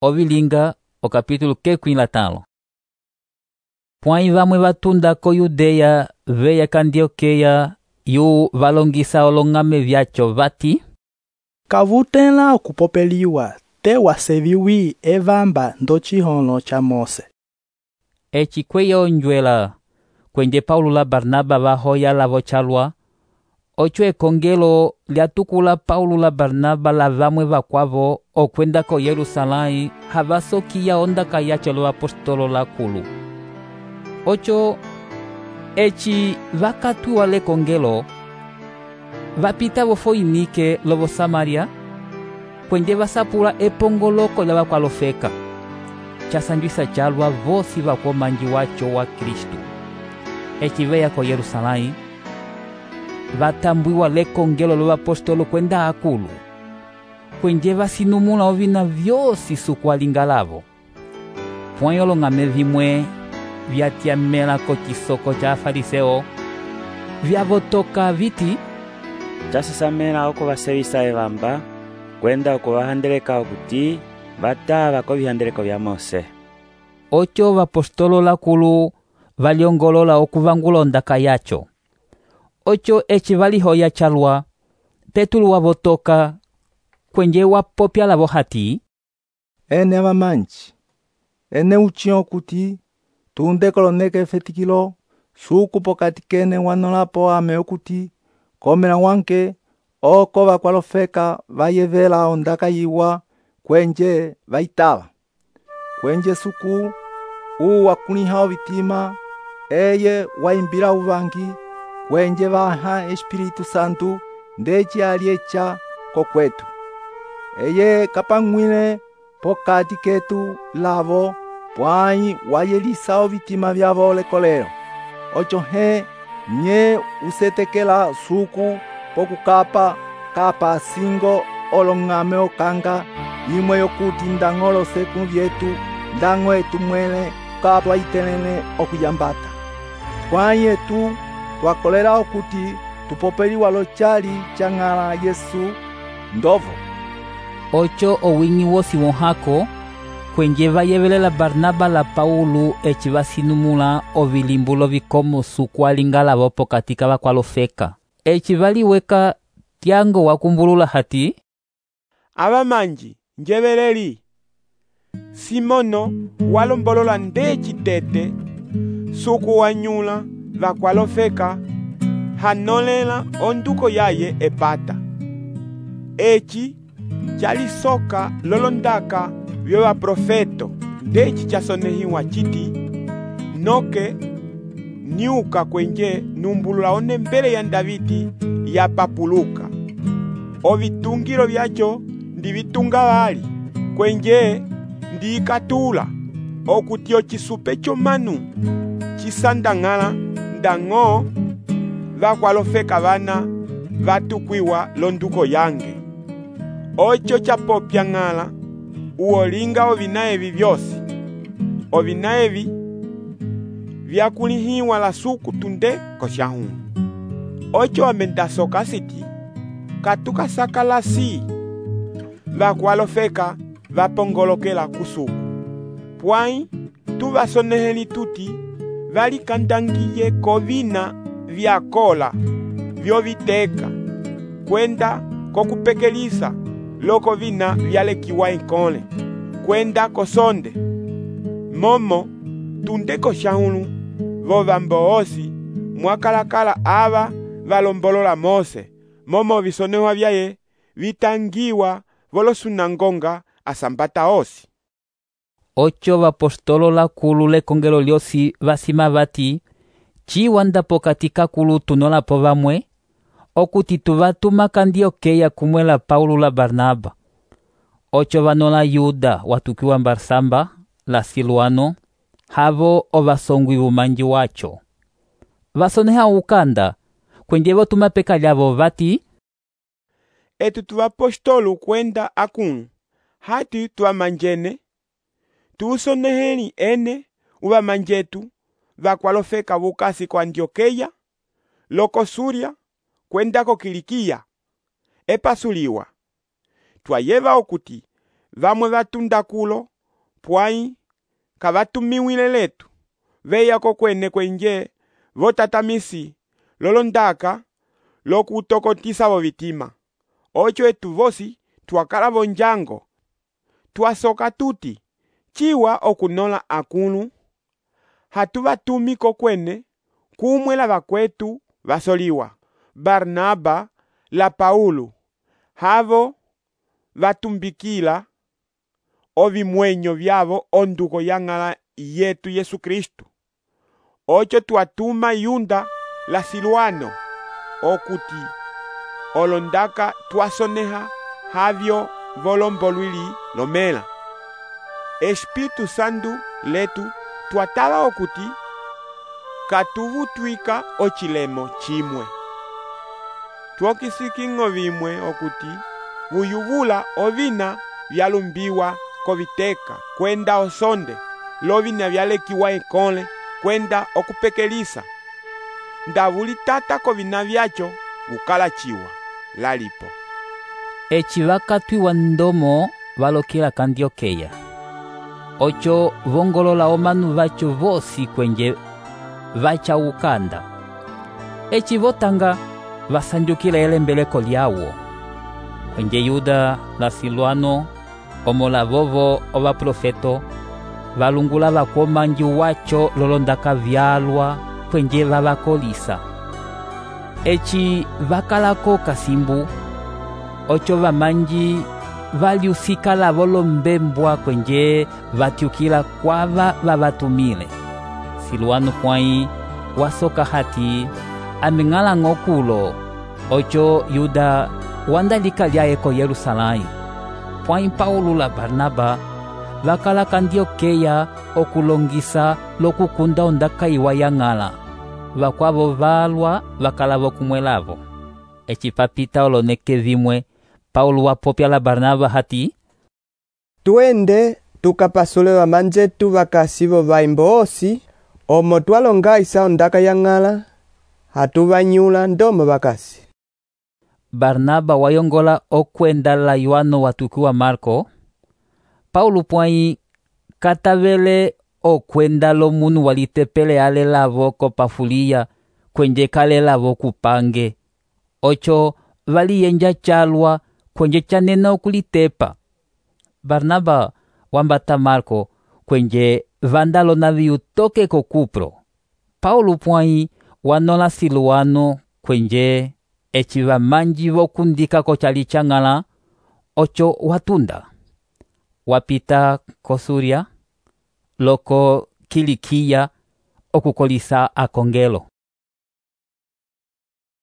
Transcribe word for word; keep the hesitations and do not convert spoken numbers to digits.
Ovilinga, o capítulo kekwi la talo. Pwãyi vamwe vatunda ko Yudeya veya ka Antioqueia yu valongisa olong'ame vyacho vati: kavutẽla okupopeliwa te waseviwi evamba ndo cihono ca Mose. Eci kweya onjwela kwenje Paulo la Barnaba vahoya lavo calwa, ocho ekongelo lyatukula Paulo la Barnaba la vamwe vakwavo okwenda ko Yerusalãyi havasokiya ondaka yacho lovapostolo lakulu. Ocho eci vakatwiwa lekongelo vapita vo Foinike lovo Samaria kwenje vasapula epongoloko lya vakwalofeka casanjwisa calwa vosi vakomanji wacho wa Kristu. Eci veya ko Yerusalãyi vatambwiwa lekongelo lovapostolo kwenda akulu kwenje vasinumula ovina vyosi sukualinga lavo. Pwãyi olong'ame vimwe vyatyamela ko cisoko ca Afariseo vyavotoka viti: casesamela oko vasevisa evamba kwenda oko vahandeleka okuti vatava ko vihandeleko vya Mose. Ocho vapostolo lakulu valyongolola okuvangula ondaka yacho. Ocho eci valihoya calwa, Petulo wavotoka kwenje wapopya lavo hati: ene avamanji, ene uchiyo kuti tunde koloneka efetikilo suku pokati kene wanolapo ame okuti komela wanke oko vakwalofeka vayevela ondaka yiwa kwenje vaitava. Kwenje suku uu wakuliha ovitima eye waimbila uvangi kwenje vaha Espiritu Santu ndeci aliecha kokwetu. Eye kapang'wile pokati ketu lavo pwãyi wayelisa ovitima vyavo lekolelo. Ocho he nye usetekela suku pokukapa kapa singo olong'ame okanga imwe yokuti ndañgo loseku vyetu ndañgo etu mwele kapa itelene okuyambata. Pwãyi etu twakolela okuti tupopeliwa lochali cang'ala Yesu ndovo. Ocho owinyi wosi wohako kwenje vayevelela Barnaba la Paulo eci vasinumula ovilimbulo vikomo sukualinga lavo pokati ka vakwalofeka. Eci valiweka tyango wakumbulula hati: avamanji njeveleli Simono walombolola ndeci tete suku wanyula vakwalofeka hanolela onduko yaye epata. Eci calisoka lolondaka vyo vaprofeto ndeci casonehiwa citi noke niuka kwenje numbulula onembele ya Davidi yapapuluka. Ovitungilo vyacho ndivitunga vali kwenje ndiikatula okuti ocisupe comanu cisandang'ala ndañgo vakwalofeka vana vatukwiwa londuko yange. Ocho capopya ng'ala uolinga ovina evi vyosi. Ovina evi vyakulihiwa la suku tunde kosyahunu. Ocho amendasoka siti katukasakalasi vakwalofeka vapongolokela kusuku. Pwãyi tuvasoneheli tuti valikandangiye kovina vyakola vyoviteka kwenda kokupekelisa loko vina vyalekiwa enkole kwenda kosonde. Momo tunde kosyahunu vovambo osi mwakalakala ava valombolola Mose momo visonehwa vyaye vitangiwa volosunangonga asambata osi. Ocho vapostolo lakulu lekongelo lyosi vasima vati: ciwanda pokati kakulu tunolapo vamwe okuti tuvatuma ka Antioqueia kumwela Paulo la Barnaba. Ocho vanola Yuda watukiwa Barsamba la Siluano havo ovasongwi vumanji wacho. Vasoneha ukanda kwenje votuma peka lyavo vati: etu tuvapostolo kwenda akunu hati tuvamanjene tuusoneheli ene uvamanjetu vakwalofeka vukasi ko Antioqueia loko Suria kwenda ko Kilikia epasuliwa. Twayeva okuti vamwe vatunda kulo, pwai kavatumiwile letu, veya kokwene kwenje votatamisi lolondaka lokutokotisa vo vitima. Ocho etu vosi twakala vonjango, twasoka tuti, chiwa okunola akulu, hatuvatumi kokwene kumwe la vakwetu vasoliwa, Barnaba la Paulo, havo vatumbikila ovimwenyo vyavo onduko yang'ala yetu Yesu Kristu. Ocho twatuma Yunda la Silwano okuti olondaka twasoneha havyo volombolwili lomela. Espiritu Santu letu twatala okuti katuvutwika ochilemo chimwe. Twokisikingo vimwe okuti vuyuvula ovina vyalumbiwa koviteka kwenda osonde, lovina vyalekiwa ekole kwenda okupekelisa. Ndavulitata kovina vyacho ukala chiwa lalipo. Eci vakatwiwa ndomo valokela Kandiokeya. Ocho vongolola omanu vacho vosi kwenje vacha ukanda. Eci votanga vasanjukila elembeleko lyawo. Kwenje Yuda la Silwano omola vovo ova profeto valungula vakomanji wacho lolondaka vyalwa kwenje vavakolisa. Eci vakalako kasimbu, ocho vamanji valiusikala volombembwa kwenje vatyukila kwava vavatumile. Silwano pwai wasoka hati aming'ala ng'okulo, ocho Yuda wandalika lyaye ko Yerusalai. Pwai Paulo la Barnaba vakala Kandiokeya okulongisa lokukunda ondaka iwa yang'ala. Vakwavo valwa vakala vokumwelavo. Eci papita oloneke vimwe, Paulo wapopya la Barnaba hati, tuende tukapasule vamanjetu vakasivo vaimbo osi, omo twalonga isa ondaka yang'ala, hatuvanyula ndomo vakasi. Barnaba wayongola okwenda la Yohano watukiwa Marko. Paulo pwai katavele okwenda lo munu walitepele ale lavo kopafulia kwenje kale lavo kupange. Ocho valiyenja chalwa kwenje chanena okulitepa. Barnaba wambata Marko kwenje vandalo na viutoke ko Kupro. Paulo pwai wanola Silwano kwenje eci vamanji vokundika ko chali chang'ala, ocho watunda. Wapita ko Suria, loko Kilikia okukolisa akongelo.